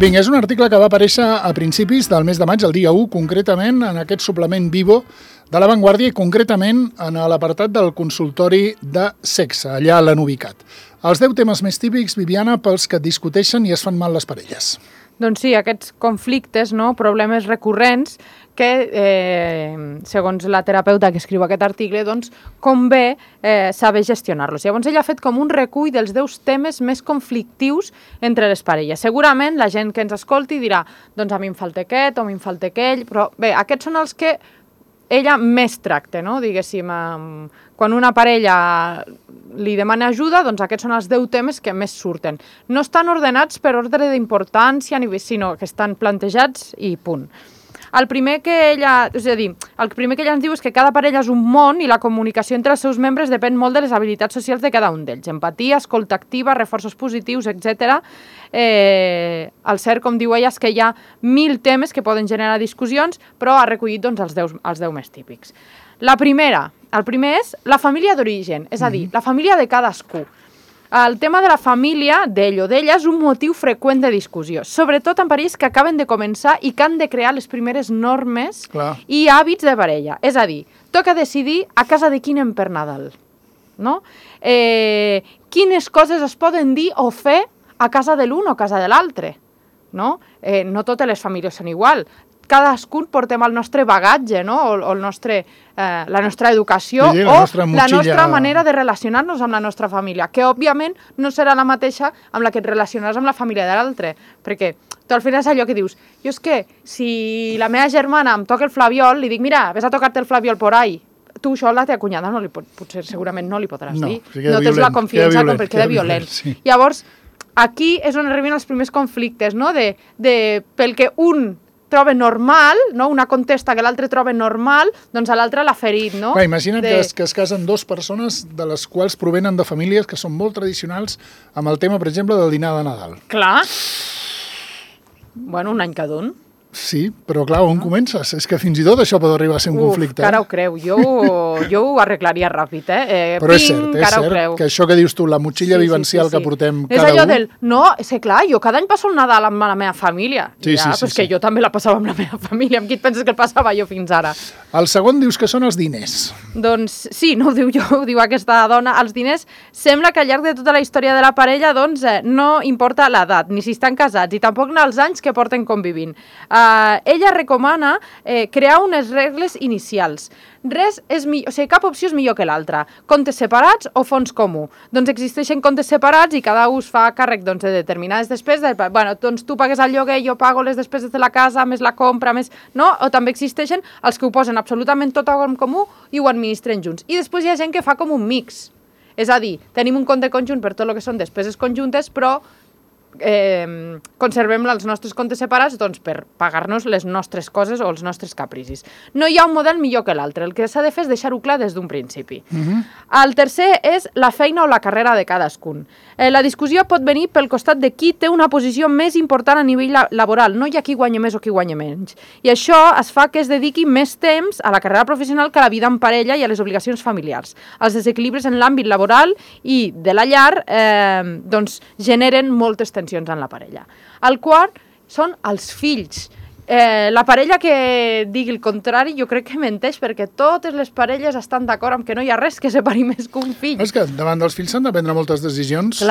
Vinga, és un article que va aparèixer a principis del mes de maig, el dia 1, concretament en aquest suplement Vivo de La Vanguardia i concretament en l'apartat del consultori de sexe, allà a l'han ubicat. Els 10 temes més típics, Viviana, pels que discuteixen i es fan mal les parelles. Doncs sí, aquests conflictes, no? Problemes recurrents que, segons la terapeuta que escriu aquest article, doncs, convé saber gestionar-los. Llavors, ella ha fet com un recull dels 10 temes més conflictius entre les parelles. Segurament la gent que ens escolti dirà, doncs a mi em falta aquest o a mi em falta aquell, però bé, aquests són els que ella més tracta, no? Diguéssim, quan una parella li demana ajuda, doncs aquests són els 10 temes que més surten. No estan ordenats per ordre d'importància, sinó que estan plantejats i punt. El primer que ella ens diu és que cada parella és un món i la comunicació entre els seus membres depèn molt de les habilitats socials de cada un d'ells. Empatia, escolta activa, reforços positius, etc. El cert, com diu ella, és que hi ha 1000 temes que poden generar discussions, però ha recollit doncs, els 10 més típics. El primer és la família d'origen, és a dir, la família de cadascú. El tema de la família, d'ell o d'ella, és un motiu freqüent de discussió, sobretot en parelles que acaben de començar i que han de crear les primeres normes i hàbits de parella. És a dir, toca decidir a casa de qui anem per Nadal, no? Quines coses es poden dir o fer a casa de l'un o a casa de l'altre, no? No totes les famílies són igual. Cadascun portem el nostre bagatge, no? O la nostra educació la nostra manera de relacionar-nos amb la nostra família, que òbviament no serà la mateixa amb la que et relacionaràs amb la família de l'altre, perquè tu al final és allò que dius, jo és que si la meva germana em toca el flabiol, li dic, mira, ves a tocar-te el flabiol por ahí. Tu això a la teva cunyada potser segurament no li podràs dir. No tens la confiança com perquè queda violent. Llavors, aquí és on arriben els primers conflictes, no? Pel que un troba normal, no? Una contesta que l'altre troba normal, doncs a l'altre l'ha ferit, no? Imagina't que es casen 2 persones de les quals provenen de famílies que són molt tradicionals amb el tema, per exemple, del dinar de Nadal. Clar. Bueno, un any cada un. Sí, però clar, on comences? És que fins i tot això pot arribar a ser un conflicte. Cara ho creu. Jo ho arreglaria ràpid, Però és cert que això que dius tu, la motxilla vivencial que portem cada un... És allò del... No, és clar, jo cada any passo el Nadal amb la meva família. Ja, però és que jo també la passava amb la meva família. Amb qui et penses que el passava jo fins ara? El segon dius que són els diners. Doncs sí, no ho diu jo, ho diu aquesta dona. Els diners sembla que al llarg de tota la història de la parella doncs no importa l'edat, ni si estan casats, i tampoc els anys que porten convivint. Ella recomana crear unes regles inicials. Cap opció és millor que l'altra. Comptes separats o fons comú. Doncs existeixen comptes separats i cada un es fa càrrec de determinades despeses. Doncs tu pagues el lloguer, jo pago les despeses de la casa, més la compra, més... No? O també existeixen els que ho posen absolutament tot en comú i ho administren junts. I després hi ha gent que fa com un mix. És a dir, tenim un compte conjunt per tot el que són despeses conjuntes, però conservem els nostres comptes separats doncs, per pagar-nos les nostres coses o els nostres capricis. No hi ha un model millor que l'altre, el que s'ha de fer és deixar-ho clar des d'un principi. El tercer és la feina o la carrera de cadascun. La discussió pot venir pel costat de qui té una posició més important a nivell laboral, no hi ha qui guanya més o qui guanya menys. I això es fa que es dediqui més temps a la carrera professional que a la vida en parella i a les obligacions familiars. Els desequilibris en l'àmbit laboral i de la llar doncs, generen moltes tensions en la parella. El quart són els fills. La parella que digui el contrari jo crec que menteix, perquè totes les parelles estan d'acord amb que no hi ha res que separi més que un fill. És que davant dels fills s'han de prendre moltes decisions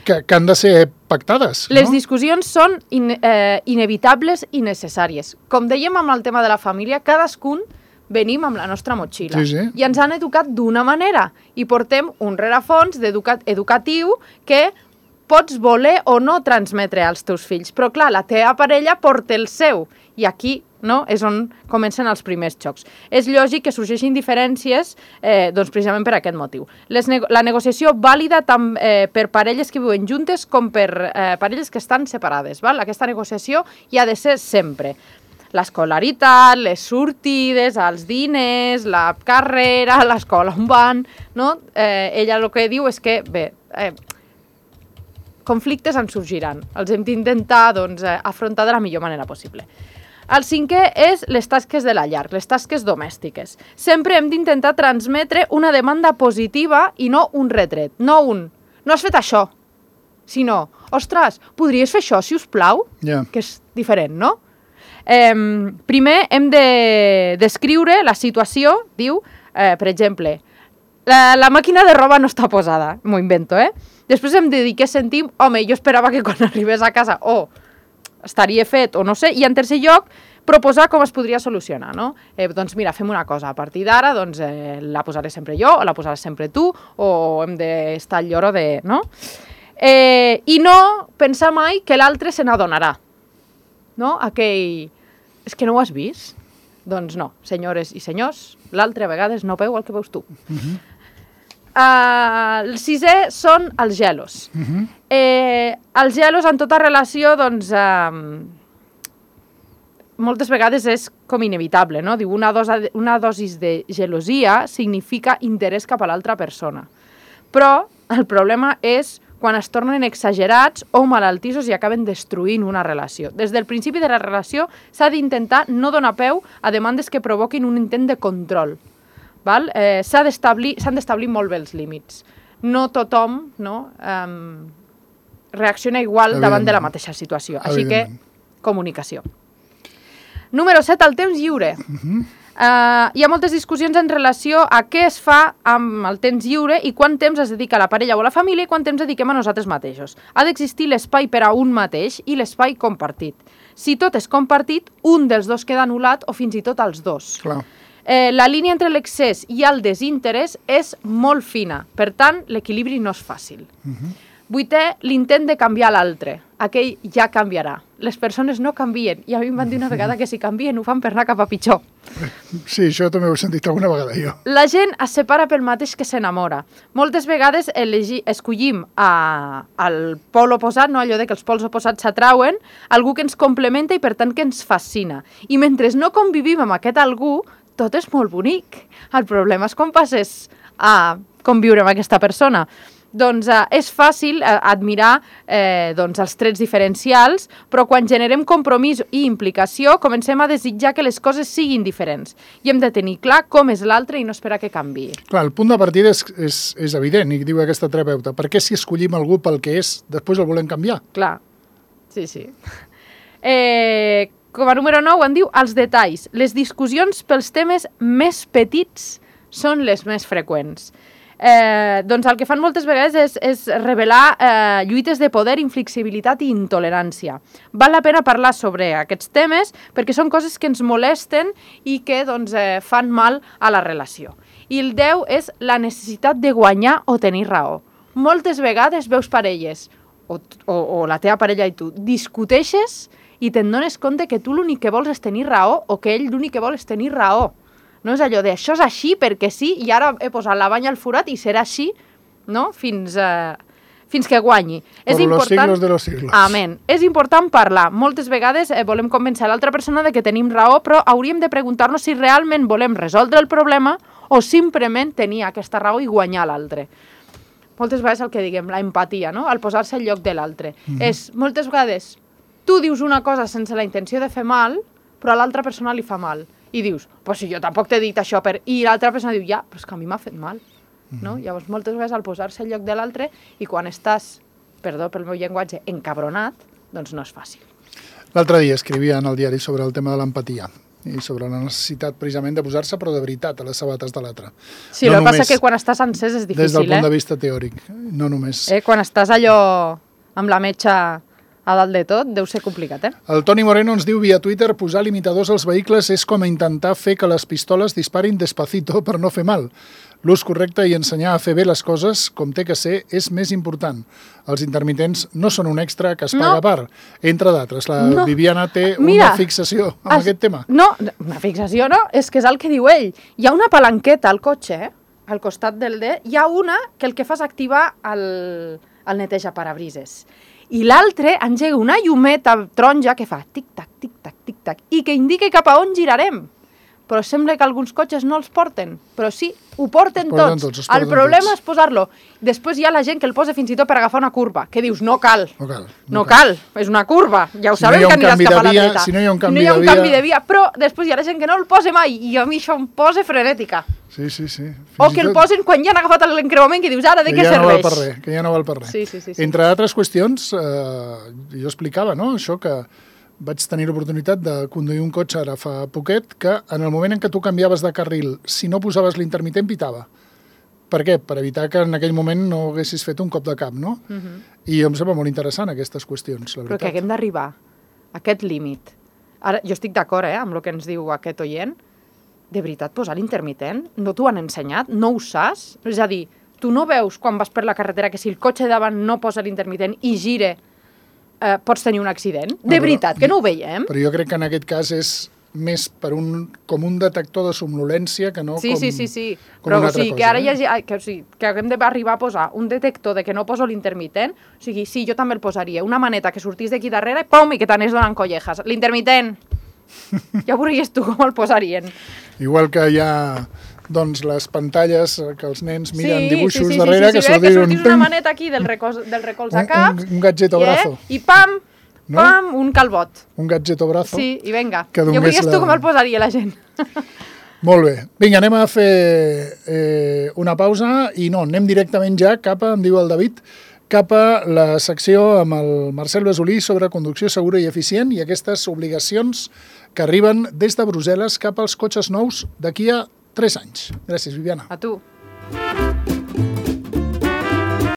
que han de ser pactades. Les discussions són inevitables i necessàries. Com dèiem amb el tema de la família, cadascun venim amb la nostra motxilla i ens han educat d'una manera i portem un rerefons educatiu que pots voler o no transmetre als teus fills, però clar, la teva parella porta el seu i aquí és on comencen els primers xocs. És lògic que sorgeixin diferències doncs precisament per aquest motiu. La negociació vàlida tant per parelles que viuen juntes com per parelles que estan separades. Aquesta negociació hi ha de ser sempre. L'escolaritat, les sortides, els diners, la carrera, l'escola on van... Ella el que diu és que, conflictes en sorgiran. Els hem d'intentar afrontar de la millor manera possible. El cinquè és les tasques de la llar, les tasques domèstiques. Sempre hem d'intentar transmetre una demanda positiva i no un retret. No has fet això. sinó, ostres, podries fer això, si us plau? Yeah. Que és diferent, no? Primer hem de descriure la situació, diu, per exemple, la màquina de roba no està posada, m'ho invento, Després hem de dir què sentim, home, jo esperava que quan arribés a casa estaria fet o no sé, i en tercer lloc proposar com es podria solucionar, no? Doncs mira, fem una cosa, a partir d'ara doncs, la posaré sempre jo o la posaràs sempre tu o hem d'estar al lloro de... no? I no pensar mai que l'altre se n'adonarà, no? Aquell... És que no ho has vist? Doncs no, senyores i senyors, l'altre a vegades no veu el que veus tu. El sisè són els gelos. Els gelos en tota relació, doncs, moltes vegades és com inevitable, no? Diu, una dosis de gelosia significa interès cap a l'altra persona. Però el problema és quan es tornen exagerats o malaltissos i acaben destruint una relació. Des del principi de la relació s'ha d'intentar no donar peu a demandes que provoquin un intent de control. S'han d'establir molt bé els límits. No tothom reacciona igual davant de la mateixa situació. Així que, comunicació. Número 7, el temps lliure. Hi ha moltes discussions en relació a què es fa amb el temps lliure i quant temps es dedica a la parella o a la família i quant temps dediquem a nosaltres mateixos. Ha d'existir l'espai per a un mateix i l'espai compartit. Si tot és compartit, un dels dos queda anul·lat o fins i tot els dos. Clar. La línia entre l'excés i el desinterès és molt fina, per tant, l'equilibri no és fàcil. Vuitè, l'intent de canviar l'altre. Aquell ja canviarà. Les persones no canvien. I a mi em van dir una vegada que si canvien ho fan per anar cap a pitjor. Sí, això també ho he sentit alguna vegada jo. La gent es separa pel mateix que s'enamora. Moltes vegades escollim el pol oposat, no? Allò de que els pols oposats s'atrauen, algú que ens complementa i per tant que ens fascina. I mentre no convivim amb aquest algú, tot és molt bonic. El problema és com passes a conviure amb aquesta persona. Doncs és fàcil admirar els trets diferencials, però quan generem compromís i implicació comencem a desitjar que les coses siguin diferents. I hem de tenir clar com és l'altre i no esperar que canviï. Clar, el punt de partida és evident, i diu aquesta terapeuta. Per què si escollim algú pel que és, després el volem canviar? Clar, sí. Com a número 9 en diu els detalls. Les discussions pels temes més petits són les més freqüents. Doncs el que fan moltes vegades és revelar lluites de poder, inflexibilitat i intolerància. Val la pena parlar sobre aquests temes perquè són coses que ens molesten i que fan mal a la relació. I el 10 és la necessitat de guanyar o tenir raó. Moltes vegades veus parelles, o la teva parella i tu, discuteixes i te'n dones compte que tu l'únic que vols és tenir raó o que ell l'únic que vol és tenir raó. No és allò de això és així perquè sí i ara he posat la banya al forat i serà així, no? Fins que guanyi. Por los siglos de los siglos. Amén. És important parlar. Moltes vegades volem convèncer l'altra persona de que tenim raó, però hauríem de preguntar-nos si realment volem resoldre el problema o simplement tenir aquesta raó i guanyar l'altre. Moltes vegades el que diguem, la empatia, no? El posar-se al lloc de l'altre. És, moltes vegades, tu dius una cosa sense la intenció de fer mal, però a l'altra persona li fa mal. I dius, pues si jo tampoc t'he dit això, i l'altra persona diu, ja, però és que a mi m'ha fet mal. No? Llavors, moltes vegades, al posar-se al lloc de l'altre, i quan estàs, perdó pel meu llenguatge, encabronat, doncs no és fàcil. L'altre dia escrivia en el diari sobre el tema de l'empatia i sobre la necessitat precisament de posar-se, però de veritat, a les sabates de l'altre. Sí, el que passa que quan estàs encès és difícil, des del punt de vista teòric, no només. Quan estàs allò amb la metxa a dalt de tot, deu ser complicat, El Toni Moreno ens diu via Twitter posar limitadors als vehicles és com intentar fer que les pistoles disparin despacito per no fer mal. L'ús correcte i ensenyar a fer bé les coses, com té que ser, és més important. Els intermitents no són un extra que es paga a part, entre d'altres. La Viviana té una fixació amb aquest tema. No, una fixació no, és que és el que diu ell. Hi ha una palanqueta al cotxe, al costat del D, hi ha una que el que fa és activar el neteja-parabrises. I l'altre engega una llumeta taronja que fa tic-tac, tic-tac, tic-tac, i que indica cap a on girarem. però sembla que alguns cotxes no els porten. Però sí, ho porten tots. El problema és posar-lo. Després hi ha la gent que el posa fins i tot per agafar una curva, que dius, no cal, és una curva, ja ho sabem que aniràs cap a la dreta. Si no hi ha un canvi de via, però després hi ha la gent que no el posa mai, i a mi això em posa frenètica. Sí. O que el posen quan ja han agafat l'encreuament, que dius, ara de què serveix? Que ja no val per res. Sí. Entre altres qüestions, jo explicava, no?, això que vaig tenir l'oportunitat de conduir un cotxe ara fa poquet, que en el moment en què tu canviaves de carril, si no posaves l'intermitent, pitava. Per què? Per evitar que en aquell moment no haguessis fet un cop de cap, no? I em sembla molt interessant aquestes qüestions, la veritat. Però que haguem d'arribar a aquest límit. Ara, jo estic d'acord amb el que ens diu aquest oient. De veritat, posar l'intermitent? No t'ho han ensenyat? No ho saps? És a dir, tu no veus quan vas per la carretera que si el cotxe davant no posa l'intermitent i gire, pots tenir un accident? De veritat, que no ho veiem? Però jo crec que en aquest cas és més per com un detector de somnolència que no com una altra cosa. Però o sigui, que ara que haguem d'arribar a posar un detector de que no poso l'intermitent, o sigui, sí, jo també el posaria. Una maneta que sortís d'aquí darrere i pum, i que t'anés donant collejas. L'intermitent! Ja veuries tu com el posarien. Igual que hi ha doncs les pantalles que els nens miren dibuixos darrere, que sortís una maneta aquí del recolz a cap, un gadget o brazo. I pam, un calbot. Un gadget o brazo. Sí, i vinga. Ja veuries tu com el posaria la gent. Molt bé. Vinga, anem a fer una pausa i anem directament ja cap a, em diu el David, cap a la secció amb el Marcel Besolí sobre conducció segura i eficient i aquestes obligacions que arriben des de Brussel·les cap als cotxes nous d'aquí a 3 anys. Gràcies, Viviana. A tu.